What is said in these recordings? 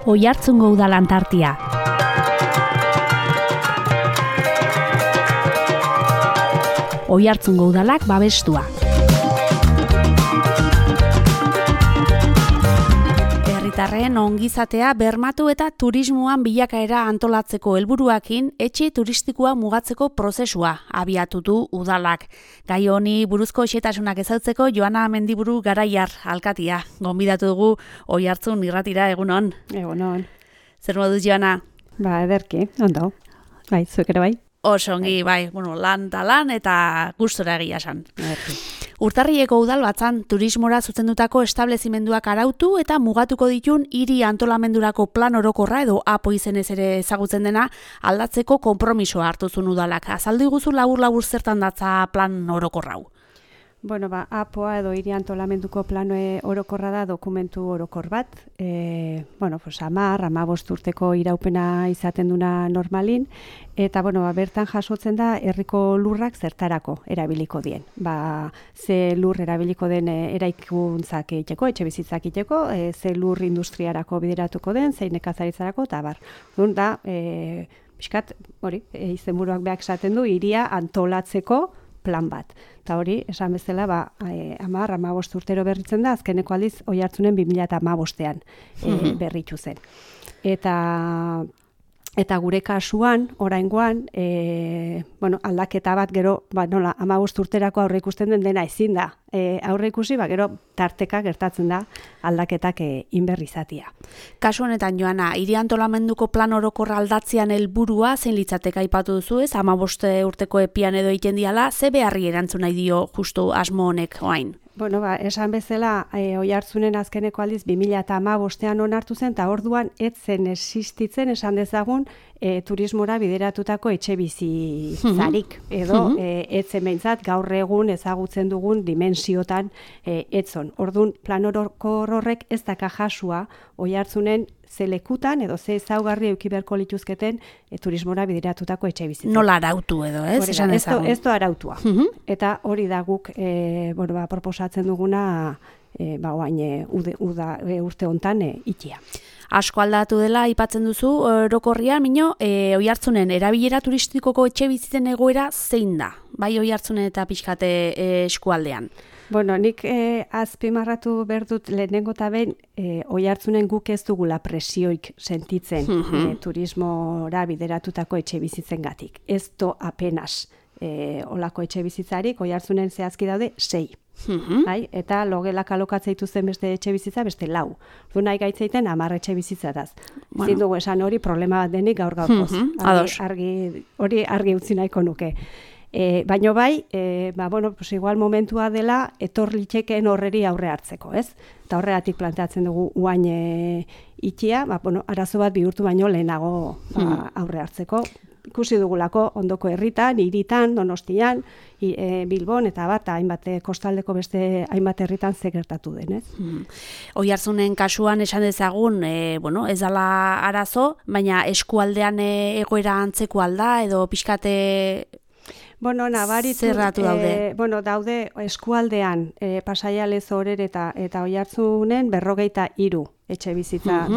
Oiartzungo Udal Antartia. Oiartzungo Udalak babestua. Herritarren ongizatea bermatu eta turismoan bilakaera antolatzeko helburuakin etxe turistikoa mugatzeko prozesua abiatu du udalak. Gai honi buruzko xehetasunak ezautzeko Joana Mendiburu Garaiar alkatia gonbidatu dugu Oiartzun irratira. Egunon. Egunon. Zer moduz, Joana? Ederki, ondo. Bai, zuek ere bai. Oso ongi, bai, lan eta gustora egia esan. Urtarrileko udalbatzan turismora zuzendutako establezimenduak arautu eta mugatuko ditun hiri antolamendurako plan orokorra edo APO izenez ere ezagutzen dena aldatzeko konpromisoa hartu zuen udalak. Azaldu iguzu labur zertan datza plan orokorra hau? Bueno, APOa edo hiri antolamenduko plan orokorra da dokumentu orokor bat. 10-15 urteko iraupena izaten duna normalin. Eta, bertan jasotzen da herriko lurrak zertarako erabiliko dien. Ze lur erabiliko den eraikuntzak egiteko, etxe bizitzak egiteko, ze lur industriarako bideratuko den, zein nekazaritzarako, eta bar. Da, pixkat, izenburuak beak esaten du, hiria antolatzeko plan bat. Eta hori, esan bezala, 10-15 urtero berritzen da, azkeneko aldiz Oiartzunen 2015ean berritu zen. Eta gure kasuan, oraingoan, aldaketa bat gero, 15 urterako aurre ikusten dena ezin da. Aurre ikusi, gero tarteka gertatzen da aldaketak inberrizatia. Kasu honetan, Joana, hiri antolamenduko plan orokorra aldatzean helburua zein litzateke aipatu duzu, ez? 15 urteko epian edo egiten diala, ze beharri erantzun nahi dio justu asmo honek orain? Esan bezala, Oiartzunen azkeneko aldiz 2015ean onartu zen, eta orduan ez zen existitzen, esan dezagun, turismora bideratutako etxe bizitzarik, edo ez zen behintzat gaur egun ezagutzen dugun dimensiotan etzon. Orduan, plan orokor horrek ez daka jasua Oiartzunen ze lekutan edo ze ezaugarri eduki beharko lituzketen turismora bideratutako etxe bizitzak. Nola arautu edo, ez? Ez da arautua. Eta hori da guk proposatzen duguna urte hontan itia. Asko aldatu dela aipatzen duzu orokorrian, Oiartzunen erabilera turistikoko etxe bizitzen egoera zein da? Bai Oiartzunen eta pixkate eskualdean. Nik azpimarratu behar dut lehenengo eta behin Oiartzunen guk ez dugula presioik sentitzen turismora bideratutako etxe bizitzengatik. Ez do apenas olako etxe bizitzarik, Oiartzunen zehazki daude 6. Eta logelak alokatzea zen beste etxe bizitza, beste 4. Nahi gaitzeiten 10 etxe bizitzataz. Zin dugu esan hori problema bat denik gaur gaurkoz. Hori argi utzi nahiko nuke. Baina bai, igual momentua dela etor litekeen horreri aurre hartzeko, ez? Eta horregatik planteatzen dugu uain itia, arazo bat bihurtu baino lehenago aurre hartzeko. Ikusi dugulako ondoko herritan, hiritan, Donostian, Bilbon, eta hainbat kostaldeko beste hainbat herritan ze gertatu den, ez? Oiartzunen kasuan esan dezagun, ez dela arazo, baina eskualdean egoera antzeko alda, edo pixkate nabaritu, zerratu daude? Daude eskualdean Pasaia Lezo Orereta eta Oiartzunen 43 etxe bizitza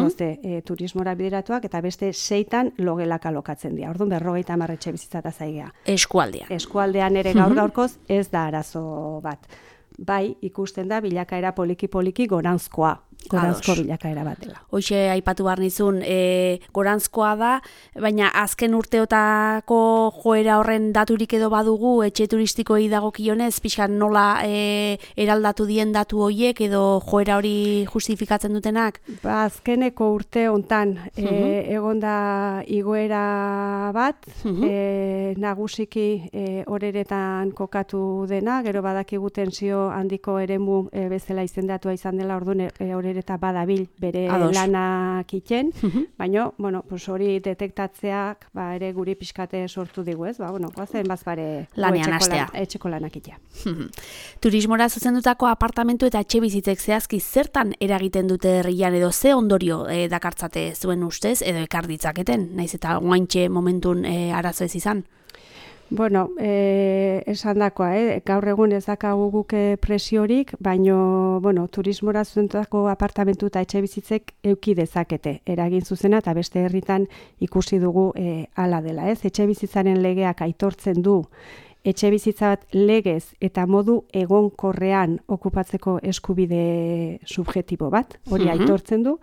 turismora bideratuak, eta beste 6 logelak alokatzen dira. Orduan 50 etxe bizitza eta zaigea. Eskualdean. Eskualdean ere gaurkoz ez da arazo bat. Bai, ikusten da bilakaera poliki goranzkoa bilakaera bat dela. Hoxe aipatu behar nizun, goranzkoa da, baina azken urteotako joera horren daturik edo badugu, etxe turistikoei dagokionez, pixkan nola eraldatu dien datu horiek edo joera hori justifikatzen dutenak? Azkeneko urte hontan egonda igoera bat, nagusiki Oreretan kokatu dena, gero badakigu tensio handiko eremu bezala izendatua izan dela, orduan Orereta badabil bere lanak iten, baina hori detektatzeak ere guri pixkate sortu digu, ez? Goazen bazpare etxeko lanak itea. Turismora zuzendutako apartamentu eta etxe bizitzek zehazki zertan eragiten dute herrian edo ze ondorio dakartzate zuen ustez edo ekar ditzaketen, naiz eta oaintxe momentun arazo ez izan? Bueno, esan dakoa, gaur egun ez dakagu guk presiorik, baino, bueno, turismora zuzendutako apartamentu eta etxe bizitzek euki dezakete eragin zuzena, eta beste herritan ikusi dugu hala dela, ez? Etxe bizitzaren legeak aitortzen du etxe bizitza bat legez eta modu egonkorrean okupatzeko eskubide subjektibo bat, hori aitortzen du.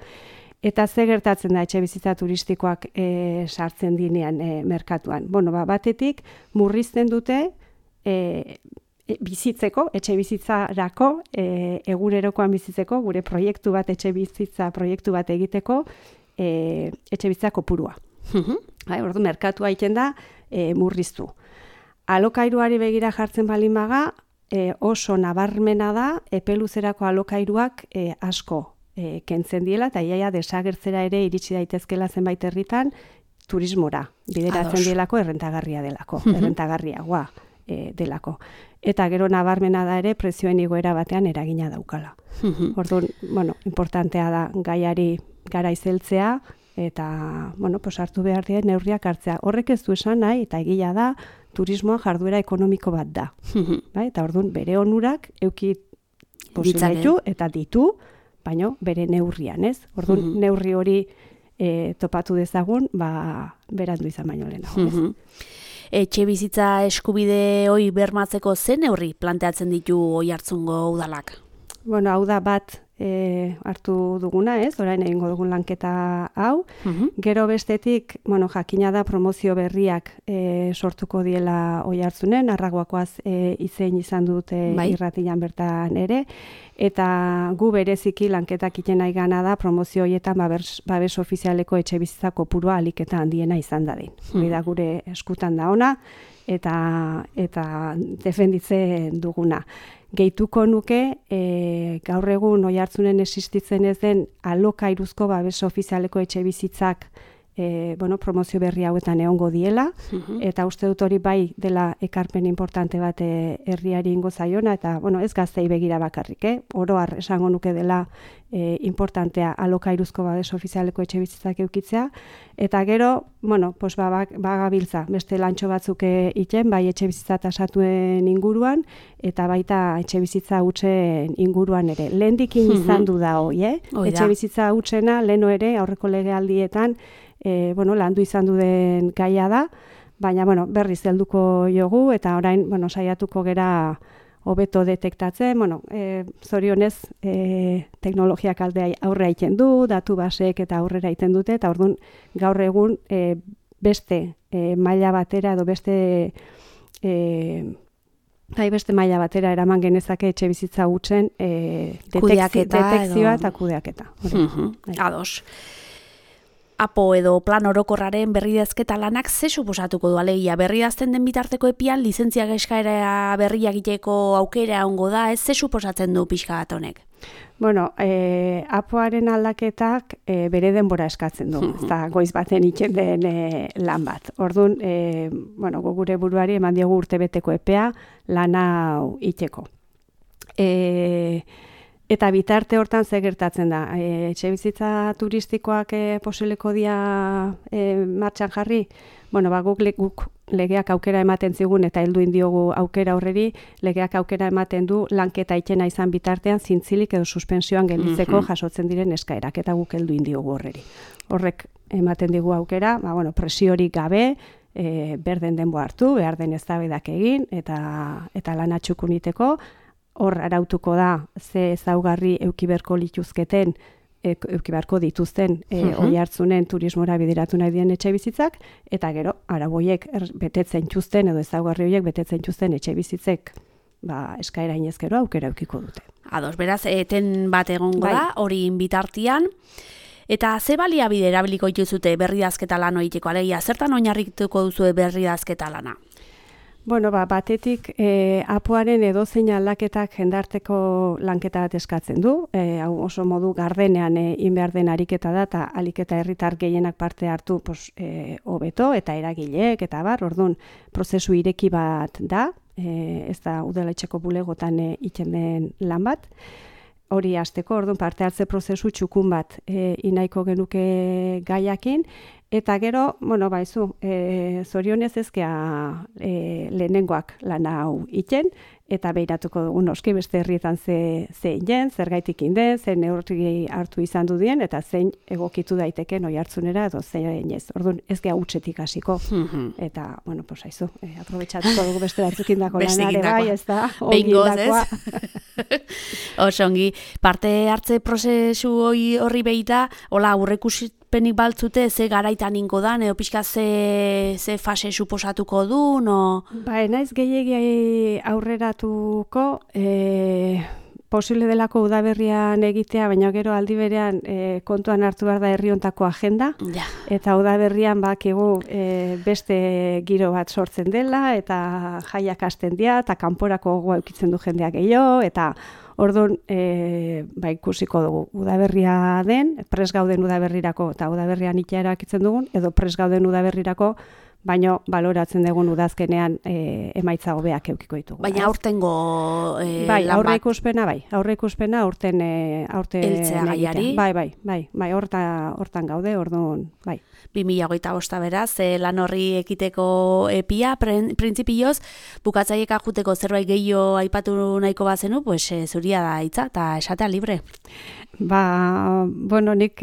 Eta ze gertatzen da etxe bizitza turistikoak sartzen dinean merkatuan. Bueno, batetik murrizten dute bizitzeko, etxe bizitzarako, egunerokoan bizitzeko, gure proiektu bat, etxe bizitza proiektu bat egiteko, etxe bizitza kopurua. Ordu, merkatua egiten da murriztu. Alokairuari begira jartzen balin baga, oso nabarmena da, epeluzerako alokairuak asko kentzen diela, eta iaia desagertzera ere iritsi daitezkela zenbait herritan turismora, bideratzen dielako errentagarria delako, errentagarriagoa delako. Eta gero nabarmena da ere prezioen igoera batean eragina daukala. Orduan, bueno, importantea da gaiari garaizeltzea, eta, bueno, hartu behar dira neurriak hartzea. Horrek ez du esan nahi, eta egia da, turismoa jarduera ekonomiko bat da. Eta orduan, bere onurak euki posibilitu eta ditu, baino bere neurrian, ez? Orduan, neurri hori topatu dezagun, berandu izan baino lehenago, ez? Etxe bizitza eskubide hori bermatzeko zen neurri planteatzen ditu Oiartzungo udalak? Bueno, hau da bat hartu duguna, ez? Orain egingo dugun lanketa hau. Gero bestetik, bueno, jakina da promozio berriak sortuko diela Oiartzunen, Arragoakoaz izein izan dute irratian bertan ere, eta gu bereziki lanketak iten nahi gana da promozio horietan babes ofizialeko etxe bizitza kopurua ahalik eta handiena izan dadin. Hori da gure eskutan da ona, eta defenditzen duguna. Gehituko nuke, gaur egun Oiartzunen existitzen ez den alokairuzko babes ofizialeko etxe bizitzak promozio berri hauetan egongo diela, eta uste dut hori bai dela ekarpen importante bat herriari ingo zaiona, eta ez gaztei begira bakarrik, oro har esango nuke dela importantea alokairuzko babes ofizialeko etxe bizitzak eukitzea, eta gero, bagabiltza, beste lantxo batzuk iten, bai etxe bizitza tasatuen inguruan, eta baita etxe bizitza hutsen inguruan ere. Lehendikin izan du da hoi, etxe bizitza hutsena, leheno ere, aurreko legealdietan, landu izan duen gaia da, baina berriz helduko jogu, eta orain saiatuko gera hobeto detektatzen, zorionez teknologiak aldea aurre egiten du, datu baseek eta aurrera egiten dute, eta orduan gaur egun beste maila batera edo beste maila batera eraman genezake etxe bizitza hutsen detekzioa eta kudeaketa. Ados. Apo edo plan orokorraren berridazketa lanak ze suposatuko du alegia? Berridazten den bitarteko epian lizentziak eskaera berriak egiteko aukera ongo da, ez ze suposatzen du pixka bat honek? Apoaren aldaketak bere denbora eskatzen du, ez da goiz baten itzen den lan bat. Orduan, gure buruari eman diogu urtebeteko epea lana iteko. Eta bitarte hortan ze gertatzen da. Etxe bizitza turistikoak posibleko dia martxan jarri, guk legeak aukera ematen zigun eta heldu indiogu aukera horreri, legeak aukera ematen du lanketa itena izan bitartean zintzilik edo suspensioan gelditzeko jasotzen diren eskaerak, eta guk heldu indiogu horreri. Horrek ematen digu aukera, presiorik gabe, berden denbo hartu, behar den eztabaidak egin, eta lana txukuniteko, hor arautuko da ze ezaugarri eukiberko dituzten Oiartzunen turismora bideratu nahi dien etxe bizitzak, eta gero arauiek betetzen txuzten edo ezaugarri horiek betetzen txuzten etxe bizitzek eskaera inezkero aukera eukiko dute. Ados, beraz, eten bat egongo da, hori bitartian. Eta ze baliabide erabiliko dituzute berridazketa lan egiteko, alegia, zertan oinarrituko duzu berridazketa lana? Batetik apoaren edozein aldaketak jendarteko lanketa bat eskatzen du. Hau oso modu gardenean behar den ariketa da, eta aliketa herritar gehienak parte hartu hobeto, eta eragileek, eta orduan prozesu ireki bat da, ez da udaletxeko bulegotan iten den lan bat. Hori hasteko, orduan parte hartze prozesu txukun bat inaiko genuke gaiakin, Eta gero, bueno, baizu, zorionez ezkea lehenengoak lana hau iten, eta behiratuko dugu noski beste herrietan zein jen, zergaitik inden, zein neurri hartu izan du dien, eta zein egokitu daiteken oihartzunera edo zein ez. Orduan ez gea hutsetik hasiko. Eta, bueno, pues haizu, aprobetxatuko dugu beste batzukindako lanare bai, ez da, ongindakoa. Oso ongi, parte hartze prozesu horri behita, hola, aurrekuspenik baltzute, ze garaitan ingo dan, edo pixka ze fase suposatuko du, no? Ba, naiz gehiegi aurreratuko, posible delako udaberrian egitea, baina gero aldi berean kontuan hartu behar da herri hontako agenda, eta udaberrian bakigu beste giro bat sortzen dela, eta jaiak hasten dira, eta kanporako gogoa eukitzen du jendeak gehiago, eta orduan ba, ikusiko dugu udaberria den, pres gauden udaberrirako, eta udaberrian itea erakitzen dugun, edo pres gauden udaberrirako, baina baloratzen dugun udazkenean emaitza hobeak eukiko ditugu. Baina aurtengo bai, aurre ikuspena aurten eltzea gaiari. Bai, hortan gaude, orduan, bai. 2025 beraz, lan horri ekiteko epia, printzipioz, bukatzaieka juteko zerbait gehiago aipatu nahiko bazenu, pues zuria da hitza, eta esatea libre. Ba, bueno, nik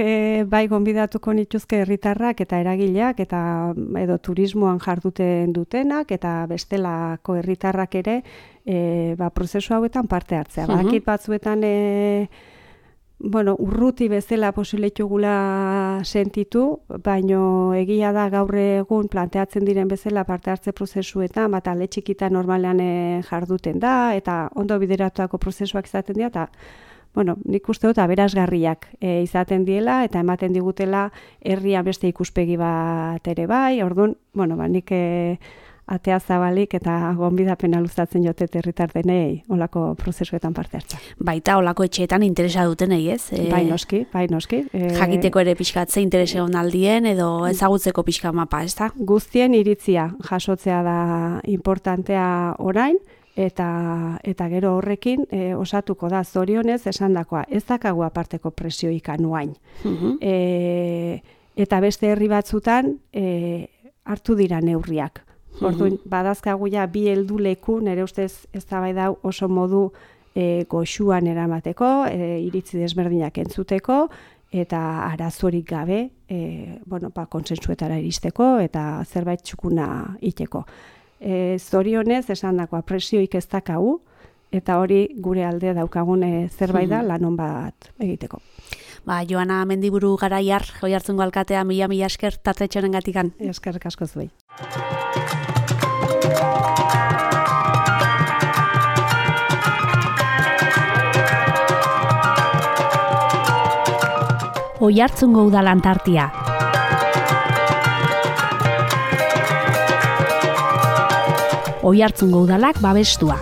bai gonbidatuko nituzke herritarrak eta eragileak, eta edo turismoan jarduten dutenak, eta bestelako herritarrak ere, ba, prozesu hauetan parte hartzea. Badakit batzuetan, bueno, urruti bezala posiletugula sentitu, baino egia da gaur egun planteatzen diren bezala parte hartze prozesuetan, bat alde txikita normalean jarduten da, eta ondo bideratuako prozesuak izaten dira, eta bueno, nik uste dut aberasgarriak izaten diela, eta ematen digutela herria beste ikuspegi bat ere bai, orduan, bueno, ba, nik atea zabalik eta gonbidapena luzatzen jotet herritar denei olako prozesuetan parte hartza. Baita olako etxeetan interesa dutenei, ez? Bai noski. Jakiteko ere pixkatze interese onaldien edo ezagutzeko pixka mapa, ez da? Guztien iritzia jasotzea da importantea orain, eta gero horrekin osatuko da zorionez esandakoa, ez dakagu aparteko presioik anuain. Eta beste herri batzutan hartu dira neurriak. Orduan, badazkagu ja bi helduleku, nire ustez eztabaida oso modu goxuan eramateko, iritzi desberdinak entzuteko, eta arazorik gabe, bueno, ba, kontsentsuetara iristeko, eta zerbait txukuna iteko. Zorionez, esandakoa presioik ez dakagu, eta hori gure alde daukagun zerbait da lanon bat egiteko. Ba, Joana Mendiburu Garaiar, Oiartzungo alkatea, mila esker tartetxonen gatikan. Eskerrik asko zuei. Oiartzungo udalan tartia. Oiartzungo udalak babestua.